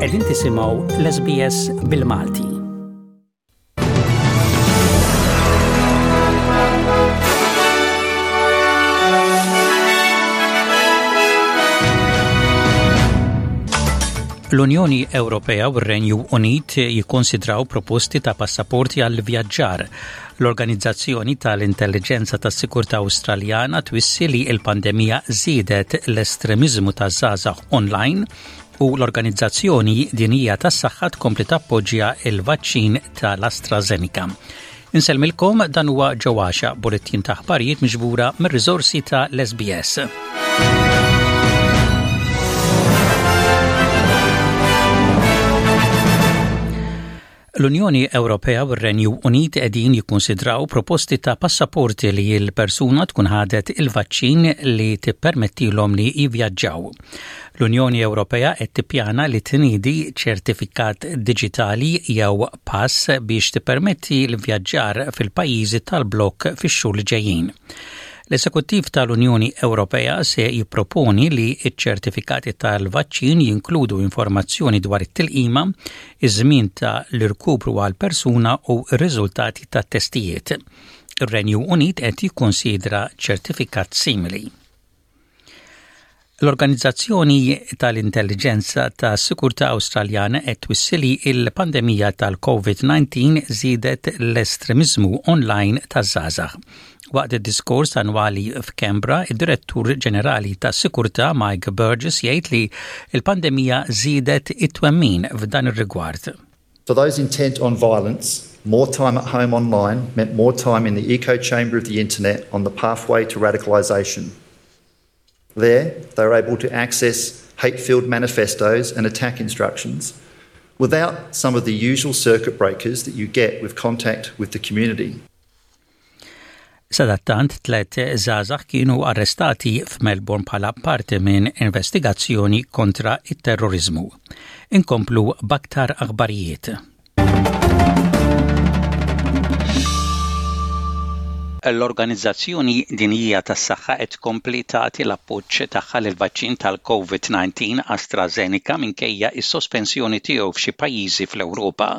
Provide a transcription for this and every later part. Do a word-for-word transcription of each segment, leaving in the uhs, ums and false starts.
Qegħdin tisimgħu l-S B S bil-Malti. L-Unjoni Ewropea u r-Renju Unit jikkonsidraw proposti ta' passaporti għal vjaġġar. L-Organizzazzjoni tal-Intelligenza tas-Sikurtà Awstraljana twissi li l-pandemija żiedet l-estremiżmu ta' żgħażagħ online u l-Organizzazzjoni Dinjija tas-Saħħa tkompli tappoġġja il-vaċċin tal-AstraZeneca. Insellmilkom, dan huwa ġewwaxa bulettin ta' aħbarijiet miġbura mir-riżorsi ta' l-S B S. L-Unjoni Ewropea u r-Renju Unit qegħdin jikkonsidraw proposti ta' passaporti li l-persuna tkun ħadet il-vaċċin li tippermettilhom li jivvjaġġaw. L-Unjoni Ewropea qed tippjana li tniedi ċertifikat diġitali jew pass biex tippermetti l-vjaġġar fil-pajjiżi tal-blokk fix-xhur li ġejjin. L-Esekuttiv tal-Unjoni Ewropea se jipproponi li ċ-ċertifikati tal-vaċċin jinkludu informazzjoni dwar it-tilqima, iż-żmien ta' l-irkupru għal persuna u r-riżultati tat-testijiet. Ir-Renju Unit qed jikkonsidra ċertifikat simili. L-Organizzazzjoni tal-Intelligenza ta' Sikurtà Awstraljana qed twissi li l-pandemija tal-COVID nineteen żiedet l-estremiżmu online taż-żgħażagħ. Waqt id-diskors annwali f'Canberra, id-Direttur Ġenerali ta' Sikurtà Mike Burgess jgħid li l-pandemija żiedet it-twemmin f'dan ir-rigward. For those intent on violence, more time at home online meant more time in the echo chamber of the internet on the pathway to radicalisation. There, they were able to access hate filled manifestos and attack instructions without some of the usual circuit breakers that you get with contact with the community. Sadattant, tlet żgħażagħ kienu arrestati f'Melbourne bħala parti minn investigazzjoni kontra it-terrorizmu. Inkomplu b'aktar aħbarijiet. L-Organizzazzjoni Dinjija tas-Saħħa qed tkompli tagħti l-appoġġ tagħha lil vaċċin tal-COVID nineteen AstraZeneca minkejja is-sospensjoni tiegħu f'xi pajjiżi fl-Ewropa.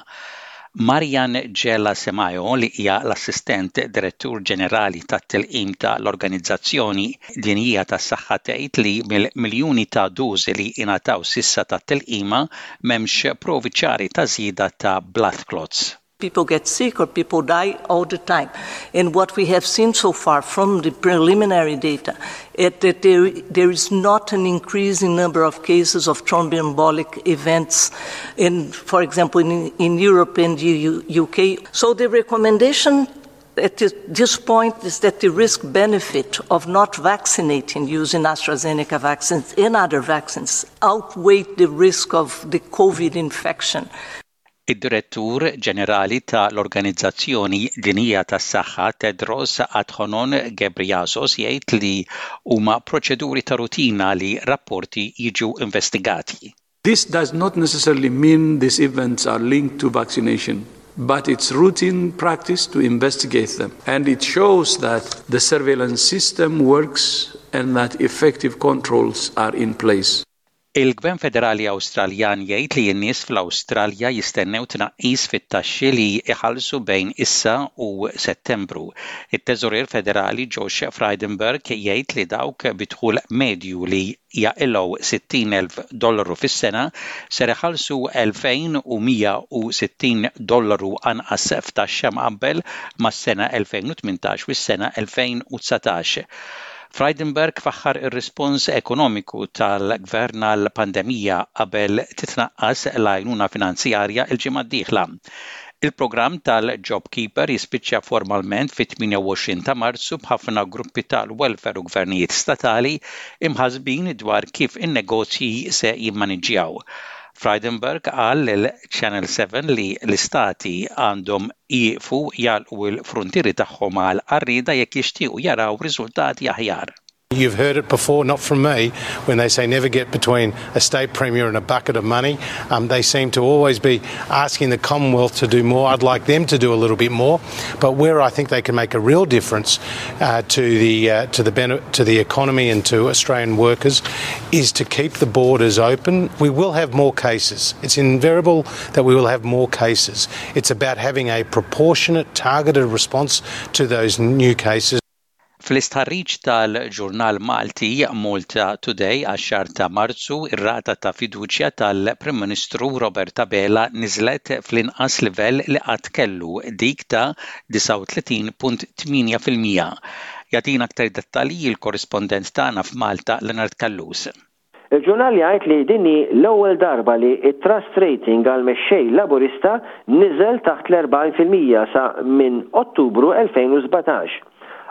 Marian Gela Semajo, li hija l-assistent direttur ġenerali tat-tilqim ta' l-Organizzazzjoni Dinjija tas-Saħħa, tgħid li mill-miljuni ta' dożi li ingħataw s'issa tat-tilqima m'hemmx provi ċari ta' żieda ta' blood clots. People get sick or people die all the time. And what we have seen so far from the preliminary data is that there, there is not an increase in number of cases of thromboembolic events, in, for example, in, in Europe and the U K. So the recommendation at this point is that the risk benefit of not vaccinating using AstraZeneca vaccines and other vaccines outweigh the risk of the COVID infection. Id-Direttur Ġenerali ta' l-Organizzazzjoni Dinjija tas-Saħħa Tedros Adhanom Ghebreyesus jgħid li huma proċeduri ta' rutina li rapporti jiġu investigati. This does not necessarily mean these events are linked to vaccination, but it's routine practice to investigate them. And it shows that the surveillance system works and that effective controls are in place. Il-Gvern Federali Awstraljan jgħid li n-nies fl-Awstralja jistennew tnaqqis fit-taxxi li iħallsu bejn issa u Settembru. Il-Teżorier Federali Josh Frydenberg jgħid li dawk bi dħul medju li jaqilgħu sittin elf dollaru fis-sena ser iħallsu elfejn u mija u sittin dollaru anqas f'taxxa mqabbel mas-sena elfejn u tmintax u s-sena elfejn u dsatax. Frydenberg faħħar ir-rispons ekonomiku tal-gvern għal pandemija qabel titnaqqas l-għajnuna finanzjarja il-ġimgħa d-dieħla. Il-programm tal-JobKeeper jispiċċa formalment fit-tmienja u għoxrin ta' Marzu, b'ħafna gruppi tal-welfare u gvernijiet statali imħasbin dwar kif in-negozji se jimmaniġġjaw. Frydenberg qal lil Channel seven li l-istati għandhom jieqfu jagħlqu l-frontieri tagħhom għal għarrieda jekk jixtiequ jaraw riżultati aħjar. You've heard it before, not from me, when they say never get between a state premier and a bucket of money. Um, they seem to always be asking the Commonwealth to do more. I'd like them to do a little bit more. But where I think they can make a real difference uh, to the uh, to the bene- to the economy and to Australian workers is to keep the borders open. We will have more cases. It's invariable that we will have more cases. It's about having a proportionate, targeted response to those new cases. Fl-istħarriġ tal-ġurnal Malti Malta Today għax-xahar ta' Marzu, ir-rata ta' fiduċja tal-Prim Ministru Robert Abela niżlet fl-inqas livell li qatt kellu, dik ta' disgħa u tletin punt tmienja fil-mija. Jagħtina aktar dettalji il-korrispondent tagħna f'Malta, Leonard Callus. Il-ġurnal jgħid li din hi l-ewwel darba li it-trust rating għal mexxej Laburista niżel taħt l-erbgħin fil-mija sa minn Ottubru elfejn u sbatax.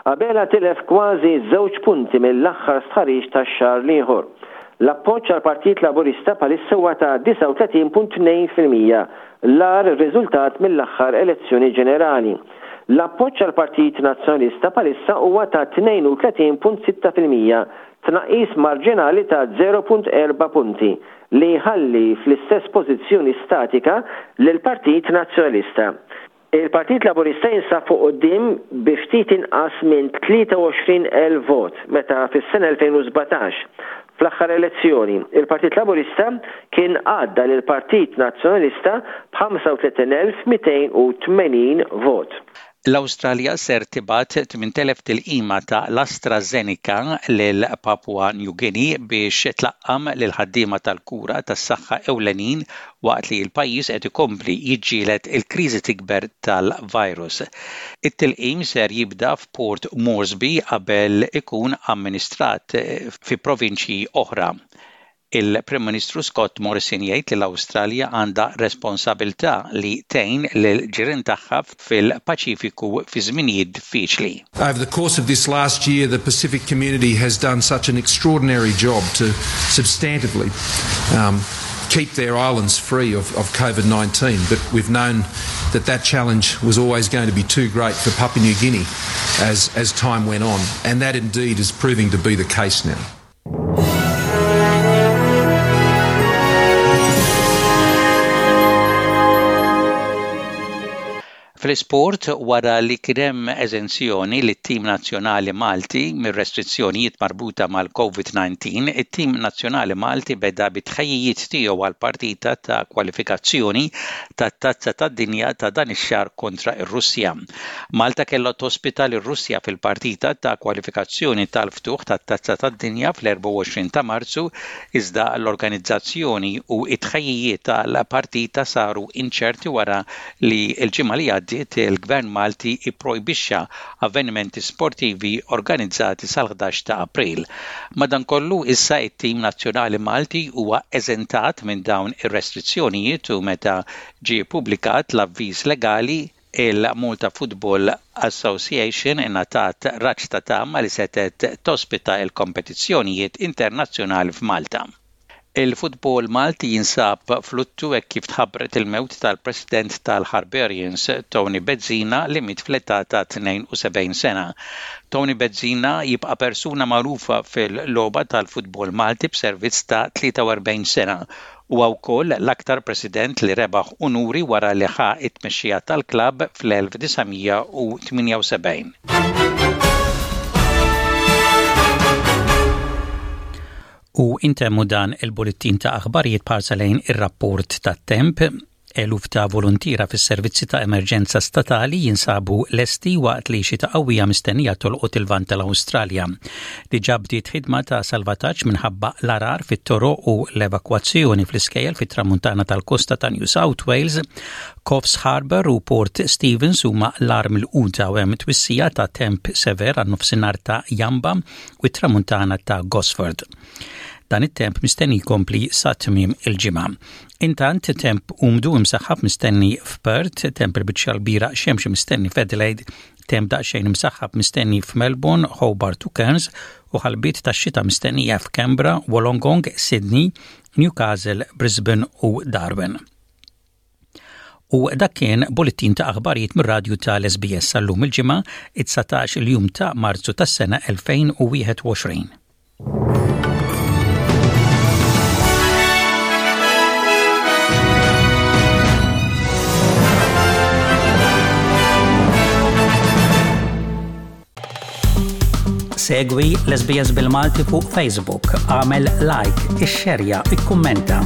Abela tilef kważi żewġ punti mill-aħħar stħarriġ tax-xahar l-ieħor. L-appoġġ għal Partit Laburista bħalissa huwa ta' disgħa u tletin punt tnejn fil-mija, l-agħar riżultat mill-aħħar elezzjoni ġenerali. L-appoġġ għal Partit Nazzjonalista bħalissa huwa ta' tnejn u tletin punt sitta fil-mija, tnaqqis marġinali ta' żero punt erba' punti li ħalli fl-istess pożizzjoni statika lill-Partit Nazzjonalista. Il-Partit Laburista jinsab fuq quddiem bi ftit inqas minn tlieta u għoxrin elf vot, meta fis-sena elfejn u sbatax, fl-aħħar elezzjoni, il-Partit Laburista kien għadda lill-Partit Nazzjonalista b'ħamsa u tletin elf mitejn u tmenin vot. L-Awstralja ser tibgħat tmint elef tilqima ta' l-AstraZeneca lil Papua New Guinea biex tlaqqam lil ħaddiema tal-kura tas-saħħa ewlenin waqt li l-pajjiż qed ikompli jiġġieled il-kriżi tikber tal-virus. It-tilqim ser jibda f'Port Moresby qabel ikun amministrat fi provinċji oħra. Il-Prim Ministru Scott Morrison jgħid li l-Awstralja għandha responsabilità li tgħin lil ġirien tagħha fil-Paċifiku fi żminijiet diffiċli. Over the course of this last year, the Pacific community has done such an extraordinary job to substantively um, keep their islands free of, of COVID nineteen. But we've known that that challenge was always going to be too great for Papua New Guinea as, as time went on. And that indeed is proving to be the case now. Fl-isport, wara li kien hemm eżenzjoni lit-tim nazzjonali Malti mir-restrizzjonijiet marbuta mal-COVID nineteen, it-tim nazzjonali Malti beda bit-tħejjijiet tiegħu għal partita ta' kwalifikazzjoni tat-Tazza tad-Dinja ta' dan ix-xahar kontra ir-Russja. Malta kellha tospita lir-Russja fil-partita ta' kwalifikazzjoni tal-ftuħ tat-Tazza tad-Dinja fl-erbgħa u għoxrin ta' Marzu, iżda l-organizzazzjoni u it-tħejjijiet tal-partita saru inċerti wara li l-ġimgħa li għaddiet il-Gvern Malti ipprojbixxa avvenimenti sportivi organizzati sal-ħdax ta' April. Madankollu, issa it-tim nazzjonali Malti huwa eżentat minn dawn ir-restrizzjonijiet u meta ġie publikat l-avviż legali, il-Malta Football Association ingħatat raġġ ta' tama li setet tospita il-kompetizzjonijiet internazzjonali f'Malta. Il-futbol Malti jinsab f'luttu hekk kif tħabbret il-mewt tal-President tal-Hibernians Tony Bezzina, li miet fl-età ta' tnejn u sebgħin sena. Tony Bezzina jibqa' persuna magħrufa fil-logħba tal-futbol Malti b'servizz ta' tlieta u erbgħin sena. Huwa wkoll l-aktar president li rebaħ unuri wara li ħa it-tmexxija tal-klabb fl-elf disa' mija u tmienja u sebgħin. U intemmu dan il-bullettin ta' aħbarijiet b'ħarsa lejn ir-rapport tat-temp. Eluf ta' volontira fis-servizzi ta' emerġenza statali jinsabu lesti waqt li xita qawwija mistennija tolqot il-Lvant tal-Awstralja. Diġà bdiet ħidma ta' salvataġġ minħabba l-għargħar fit-toroq u l-evakwazzjoni fl-iskejjel fit-tramuntana tal-kosta ta' New South Wales. Coffs Harbour u Port Stephens huma l-agħar milquta u hemm twissija ta' temp sever għan-nofsinhar ta' Yamba u t-tramuntana ta' Gosford. Dan it-temp mistenni jkompli sa tmiem il-ġimgħa. Intant, temp umdu imsaħħab mistenni f'Perth, temp il-biċċa kbira xemx mistenni f'Adelaide, temp daqsxejn imsaħħab mistenni f'Melbourne, Hobart u Cairns u ħalbiet tax-xita mistennija f'Canberra, Wollongong, Sydney, Newcastle, Brisbane u Darwin. U dak kien bulletin ta' aħbarijiet mir-radju tal-S B S għal-lum il-Ġimgħa, it-dsatax il-jum ta' Marzu tas-sena elfejn u wieħed u għoxrin. Segwi l-S B S bil-Malti fuq Facebook, għamel like, ixxerja, ikkummenta.